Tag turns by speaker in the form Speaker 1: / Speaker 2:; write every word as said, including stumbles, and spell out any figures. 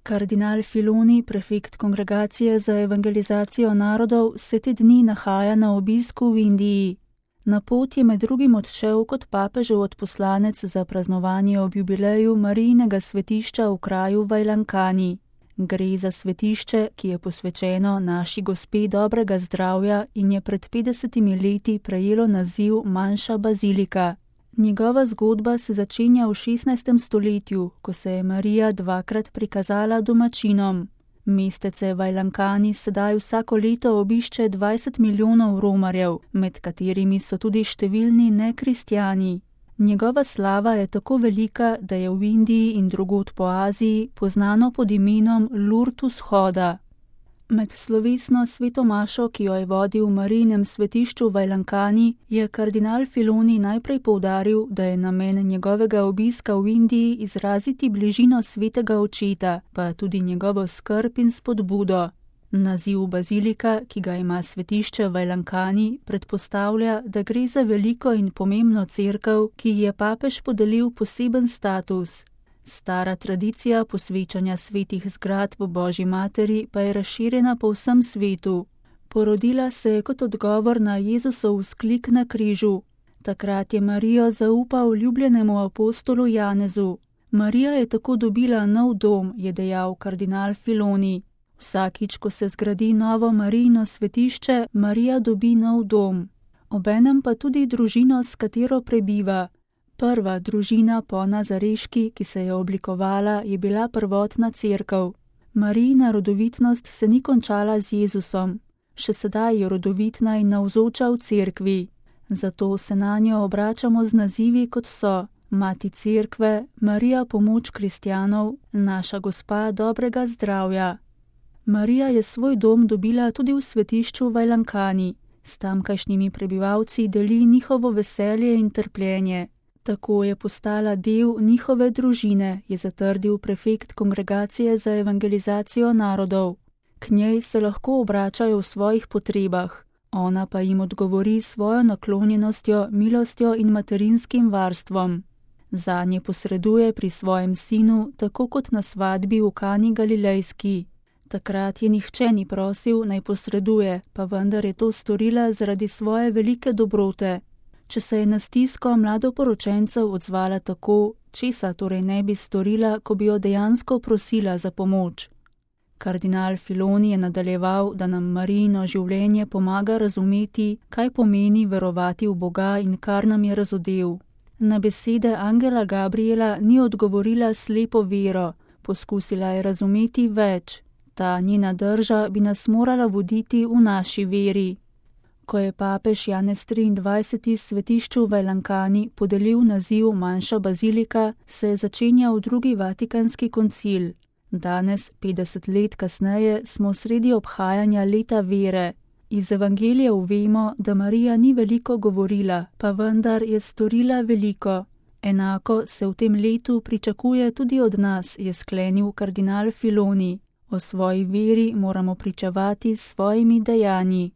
Speaker 1: Kardinal Filoni, prefekt Kongregacije za evangelizacijo narodov, se te dni nahaja na obisku v Indiji. Na pot je med drugim odšel kot papežev odposlanec za praznovanje ob jubileju Marijinega svetišča v kraju Vajlankani. Gre za svetišče, ki je posvečeno naši gospe dobrega zdravja in je pred petdesetimi leti prejelo naziv manjša bazilika. Njegova zgodba se začenja v šestnajstem stoletju, ko se je Marija dvakrat prikazala domačinom. Mestece Vajlankani sedaj vsako leto obišče dvajset milijonov romarjev, med katerimi so tudi številni nekristjani. Njegova slava je tako velika, da je v Indiji in drugod po Aziji poznano pod imenom Lurt vzhoda. Med slovesno sveto mašo, ki jo je vodil v Marijinem svetišču Vajlankani, je kardinal Filoni najprej poudaril, da je namen njegovega obiska v Indiji izraziti bližino svetega očeta, pa tudi njegovo skrb in spodbudo. Naziv bazilika, ki ga ima svetišče Vajlankani, predpostavlja, da gre za veliko in pomembno cerkev, ki ji je papež podelil poseben status. Stara tradicija posvečanja svetih zgradb Božji materi pa je razširjena po vsem svetu. Porodila se je kot odgovor na Jezusov vzklik na križu. Takrat je Marijo zaupal ljubljenemu apostolu Janezu. Marija je tako dobila nov dom, je dejal kardinal Filoni. Vsakič, ko se zgradi novo Marijino svetišče, Marija dobi nov dom. Obenem pa tudi družino, s katero prebiva. Prva družina po Nazareški, ki se je oblikovala, je bila prvotna cerkev. Marijina rodovitnost se ni končala z Jezusom. Še sedaj je rodovitna in navzoča v cerkvi. Zato se na njo obračamo z nazivi, kot so Mati cerkve, Marija pomoč kristjanov, naša gospa dobrega zdravja. Marija je svoj dom dobila tudi v svetišču Vajlankani. S tamkajšnjimi prebivalci deli njihovo veselje in trpljenje. Tako je postala del njihove družine, je zatrdil prefekt Kongregacije za evangelizacijo narodov. K njej se lahko obračajo v svojih potrebah, ona pa jim odgovori svojo naklonjenostjo, milostjo in materinskim varstvom. Zanje posreduje pri svojem sinu, tako kot na svadbi v Kani Galilejski. Takrat je nihče ni prosil, naj posreduje, pa vendar je to storila zaradi svoje velike dobrote. Če se je na stisko mladoporočencev odzvala tako, česa torej ne bi storila, ko bi jo dejansko prosila za pomoč. Kardinal Filoni je nadaljeval, da nam Marijino življenje pomaga razumeti, kaj pomeni verovati v Boga in kar nam je razodel. Na besede angela Gabriela ni odgovorila slepo vero, poskusila je razumeti več. Ta njena drža bi nas morala voditi v naši veri. Ko je papež Janez triindvajseti svetišču Vajlankani podelil naziv manjša bazilika, se je začenjal drugi vatikanski koncil. Danes, petdeset let kasneje, smo sredi obhajanja leta vere. Iz evangelijev vemo, da Marija ni veliko govorila, pa vendar je storila veliko. Enako se v tem letu pričakuje tudi od nas, je sklenil kardinal Filoni. O svoji veri moramo pričevati s svojimi dejanji.